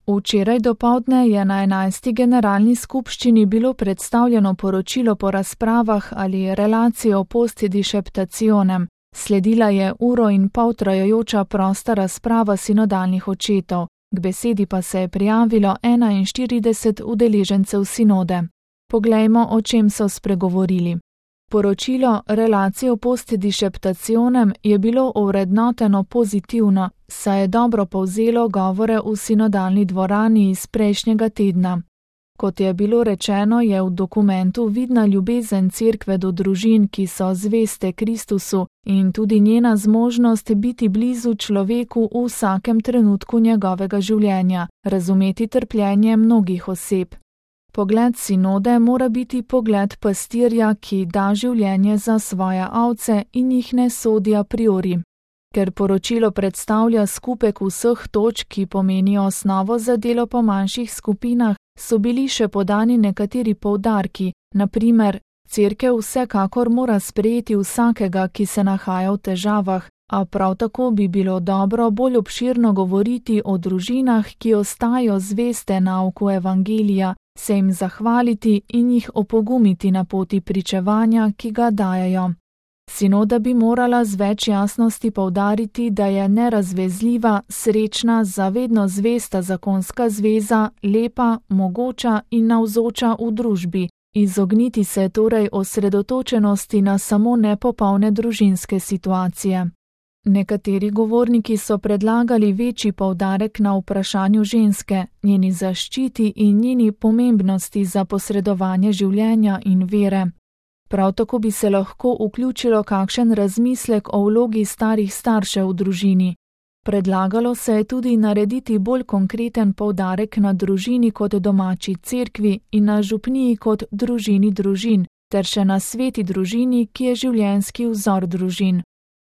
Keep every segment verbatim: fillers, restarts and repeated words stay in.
Včeraj dopoldne je na enajsti generalni skupščini bilo predstavljeno poročilo po razpravah ali relacijo post disceptationem. Sledila je uro in pol trajajoča prosta razprava sinodalnih očetov, k besedi pa se je prijavilo enainštirideset udeležencev sinode. Poglejmo, o čem so spregovorili. Poročilo Relacijo post disceptationem je bilo ovrednoteno pozitivno, saj je dobro povzelo govore v sinodalni dvorani iz prejšnjega tedna. Kot je bilo rečeno, je v dokumentu vidna ljubezen cerkve do družin, ki so zveste Kristusu, in tudi njena zmožnost biti blizu človeku v vsakem trenutku njegovega življenja, razumeti trpljenje mnogih oseb. Pogled sinode mora biti pogled pastirja, ki da življenje za svoje ovce in jih ne sodi a priori. Ker poročilo predstavlja skupek vseh točk, ki pomenijo osnovo za delo po manjših skupinah, so bili še podani nekateri poudarki, na primer, cerkev vsekakor mora sprejeti vsakega, ki se nahaja v težavah, a prav tako bi bilo dobro bolj obširno govoriti o družinah, ki ostajajo zveste nauku evangelija, se jim zahvaliti in jih opogumiti na poti pričevanja, ki ga dajejo. Sinoda bi morala z več jasnosti poudariti, da je nerazvezljiva, srečna, zavedno zvesta zakonska zveza, lepa, mogoča in navzoča v družbi, izogniti se torej osredotočenosti na samo nepopolne družinske situacije. Nekateri govorniki so predlagali večji poudarek na vprašanju ženske, njeni zaščiti in njeni pomembnosti za posredovanje življenja in vere. Prav tako bi se lahko vključilo kakšen razmislek o vlogi starih staršev v družini. Predlagalo se je tudi narediti bolj konkreten poudarek na družini kot domači cerkvi in na župniji kot družini družin, ter še na sveti družini, ki je življenjski vzor družin.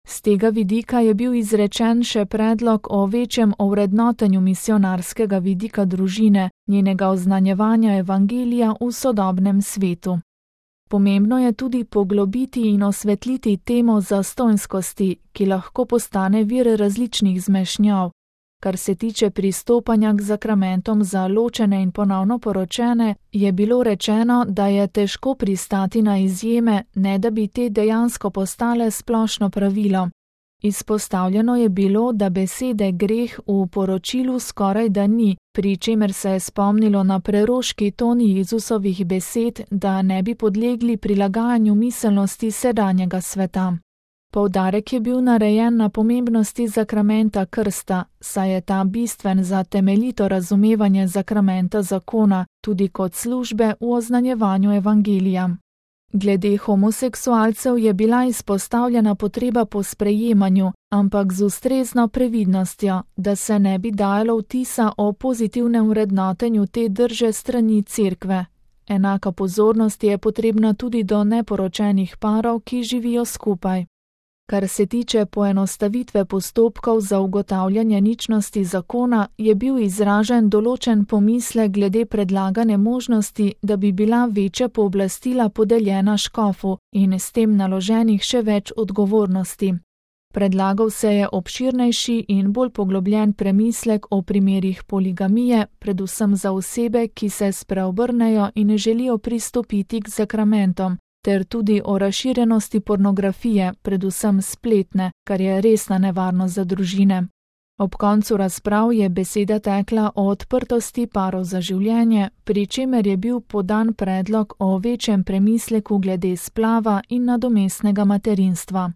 Z tega vidika je bil izrečen še predlog o večjem ovrednotenju misionarskega vidika družine, njenega oznanjevanja evangelija v sodobnem svetu. Pomembno je tudi poglobiti in osvetliti temo zastonjskosti, ki lahko postane vir različnih zmešnjav. Kar se tiče pristopanja k zakramentom za ločene in ponovno poročene, je bilo rečeno, da je težko pristati na izjeme, ne da bi te dejansko postale splošno pravilo. Izpostavljeno je bilo, da besede greh v poročilu skoraj da ni, pri čemer se je spomnilo na preroški ton Jezusovih besed, da ne bi podlegli prilagajanju miselnosti sedanjega sveta. Poudarek je bil narejen na pomembnosti zakramenta krsta, saj je ta bistven za temeljito razumevanje zakramenta zakona, tudi kot službe v oznanjevanju evangelija. Glede homoseksualcev je bila izpostavljena potreba po sprejemanju, ampak z ustrezno previdnostjo, da se ne bi dajalo vtisa o pozitivnem vrednotenju te drže strani cerkve. Enaka pozornost je potrebna tudi do neporočenih parov, ki živijo skupaj. Kar se tiče poenostavitve postopkov za ugotavljanje ničnosti zakona, je bil izražen določen pomislek glede predlagane možnosti, da bi bila večja pooblastila podeljena škofu in s tem naloženih še več odgovornosti. Predlagal se je obširnejši in bolj poglobljen premislek o primerih poligamije, predvsem za osebe, ki se spreobrnejo in želijo pristopiti k zakramentom, ter tudi o razširjenosti pornografije, predvsem spletne, kar je resna nevarnost za družine. Ob koncu razprav je beseda tekla o odprtosti parov za življenje, pri čemer je bil podan predlog o večjem premisleku glede splava in nadomestnega materinstva.